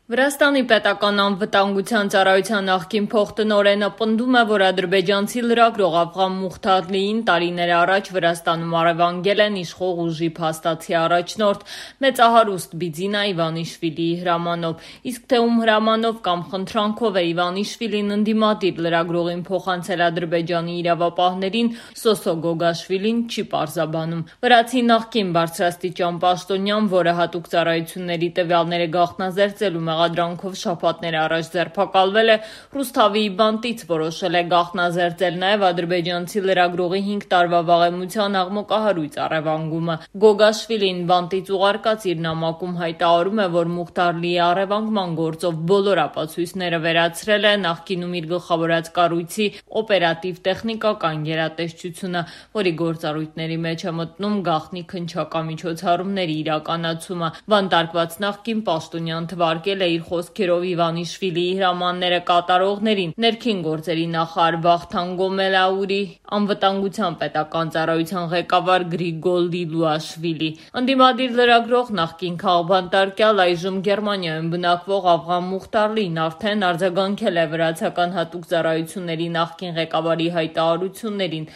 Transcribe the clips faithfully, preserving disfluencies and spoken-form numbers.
Վրաստանի պետական անվտանգության ծառայության նախկին փոխտնօրենը պնդում է, որ ադրբեջանցի լրագրող Աֆղան Մուխթարլիին տարիներ առաջ Վրաստանում առևանգել են իշխող ուժի փաստացի առաջնորդ մեծահարուստ Բիձինա Իվանիշվիլիի հրամանով, իսկ թե ում հրամանով կամ խնդրանքով է Իվանիշվիլին ընդդիմադիր լրագրողին փոխանցել Ադրբեջանի իրավապահներին, Սոսո Գոգաշվիլին չի պարզաբանում։ Վրացի նախկին բարձրաստիճան պաշտոնյան, որը հատուկ ծառայությունների տվյալները գաղտնազերծելու մեղադրանքով շաբաթներ առաջ ձերբակալվել է, Ռուսթավիի բանտից որոշել է գաղտնազերծել նաև ադրբեջանցի լրագրողի հինգ տարվա վաղեմության աղմկահարույց առևանգումը։ Գոգաշվիլին բանտից ուղարկած իր նամակում հայտարարում է, որ Մուխթարլիի առևանգման գործով բոլոր ապացույցները վերացրել է նախկինում իր գլխավորած կառույցի օպերատիվ տեխնիկական գերատեսչությունը, որի գործառույթների մեջ է մտնում գաղտնի քննչական իրականացումը։ Բանտարկված նախկին պաշտոնյան թվարկել է իր խոսքերով Իվանիշվիլիի հրամանները կատարողներին ներքին գործերի նախարար Վախթանգ Գոմելաուրի, անվտանգության պետական ծառայության ղեկավար Գրիգոլ Լիլուաշվիլի։ Ընդդիմադիր լրագրող, նախկին քաղբանտարկյալ, այժմ Գերմանիայում բնակվող Աֆղան Մուխթարլին արդեն արձագանքել է վրացական հատուկ ծառայությունների նախկին ղեկավարի հայտարարություններին։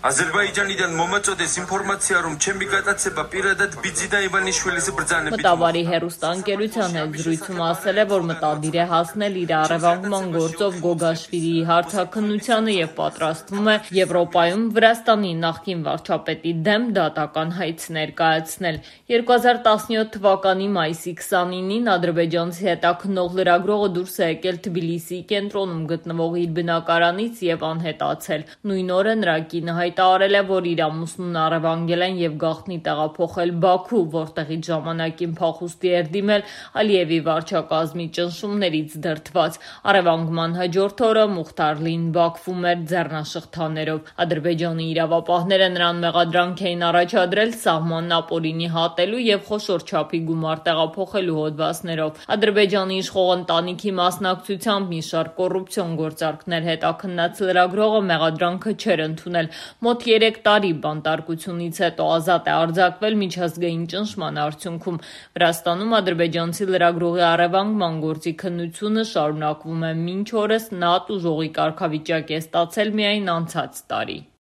Ադրբեջանიდან մոմացոդես ինֆորմացիարում չեմ գտածება პირადად Բիձինա Իվանիշվիլիս բრძանը։ Մտավարի հեռուստաընկերության հետ զրույցում ասել է, որ մտադիր է հասնել իր առևանգման գործով Գոգաշվիլիի հարցաքննությանը եւ պատրաստվում է Եվրոպայում Վրաստանի նախկին վարչապետի դեմ դատական հայց ներկայացնել։ երկու հազար տասնյոթ թվականի մայիսի քսանինին ադրբեջանցի հետաքննող լրագրողը դուրս է եկել Թբիլիսիի կենտրոնում գտնվող իր բնակարանից եւ անհետացել։ Նույն օրը նրա կինը հայտարարել է, որ իր ամուսնուն առևանգել են եւ գաղտնի տեղափոխել Բաքու, որտեղից ժամանակին փախուստի էր դիմել Ալիևի վարչակազմի ճնշումներից դրդված։ Առևանգման հաջորդ օրը Մուխթարլին Բաքվում էր ձեռնաշղթաներով։ Ադրբեջանի իրավապահները նրան մեղադրանք էին առաջադրել սահմանն ապօրինի հատելու եւ խոշոր չափի գումար տեղափոխելու հոդվածներով։ Ադրբեջանի իշխող ընտանիքի մասնակցությամբ մի շարք կոռուպցիոն գործարքներ հետաքննած լրագրողը մեղադրանքը չէր ընդունել։ Մոտ երեք տարի բանտարկությունից հետո ազատ է արձակվել միջազգային ճնշման արդյունքում։ Վրաստանում ադրբեջանցի լրագրողի առևանգման գործի քննությունը շարունակվում է մինչ օրս, նա տուժողի կարգավիճակ է ստացել միայն անցած տարի։